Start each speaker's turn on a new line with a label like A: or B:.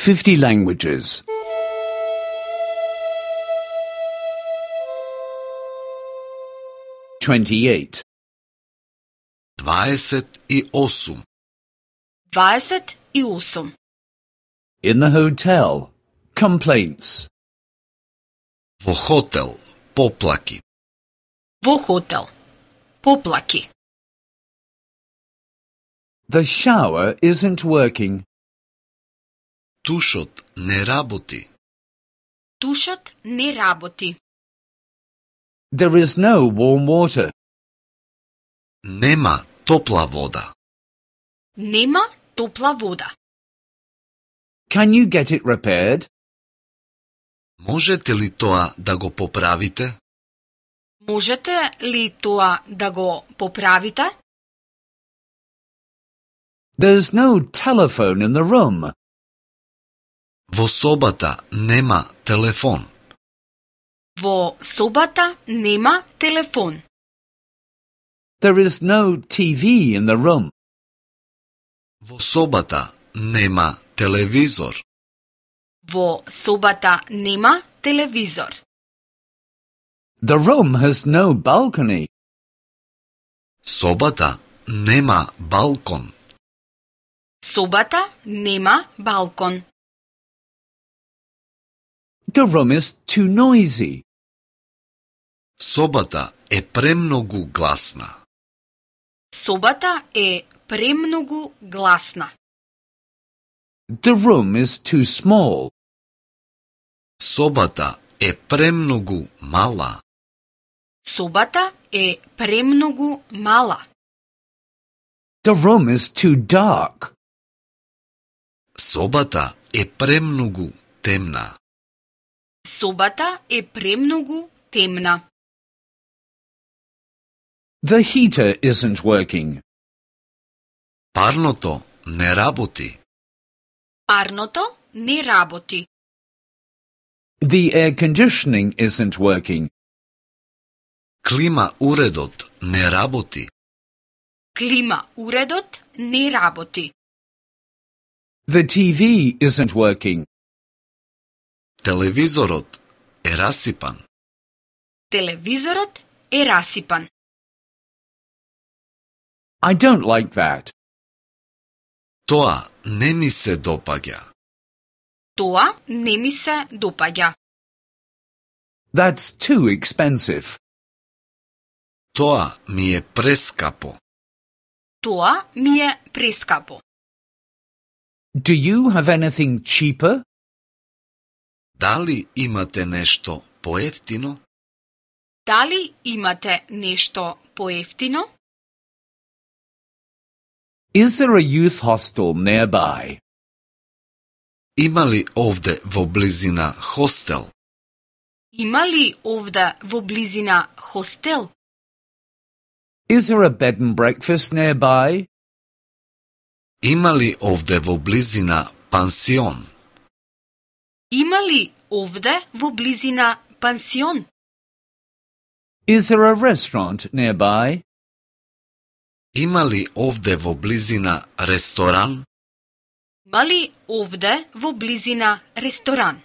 A: 50 languages. 28.
B: 28.
C: 28.
A: In the hotel. Complaints.
B: Во хотел, поплаки.
C: Во хотел. Поплаки.
A: The shower isn't working.
B: Тушот не работи.
C: Тушот не работи.
A: There is no warm water.
B: Нема топла вода.
C: Нема топла вода.
A: Can you get it repaired?
B: Можете ли тоа да го поправите?
C: Можете ли тоа да го поправите?
A: There's no telephone in the room.
B: Во собата нема телефон.
C: Во собата нема телефон.
A: There is no TV in the room.
B: Во собата нема телевизор.
C: Во собата нема телевизор.
A: The room has no balcony.
B: Собата нема балкон.
C: Собата нема балкон.
A: The room is too noisy.
B: Собата е премногу гласна.
C: Собата е премногу гласна.
A: The room is too small.
B: Собата е премногу мала.
C: Собата е премногу мала.
A: The room is too dark.
B: Собата е премногу темна.
C: Собата е премногу темна.
A: The heater isn't working.
B: Парното не работи.
C: Парното не работи.
A: The air conditioning isn't working.
B: Клима уредот не работи.
C: Клима уредот не работи.
A: The TV isn't working.
B: Телевизорот е расипан.
C: Телевизорот е расипан.
A: I don't like that.
B: Тоа не ми се допаѓа.
C: Тоа не ми се допаѓа.
A: That's too expensive.
B: Тоа ми е прескапо.
C: Тоа ми е прескапо.
A: Do you have anything cheaper?
B: Дали имате нешто поевтино?
C: Дали имате нешто поевтино?
A: Is there a youth hostel nearby?
B: Има ли овде во близина хостел?
C: Има ли овде во близина хостел?
A: Is there a bed and breakfast nearby?
B: Има ли овде во близина пансион?
C: Има ли овде во близина пансион?
A: Is there a restaurant nearby?
B: Има ли овде во близина ресторан?
C: Има ли овде во близина ресторан?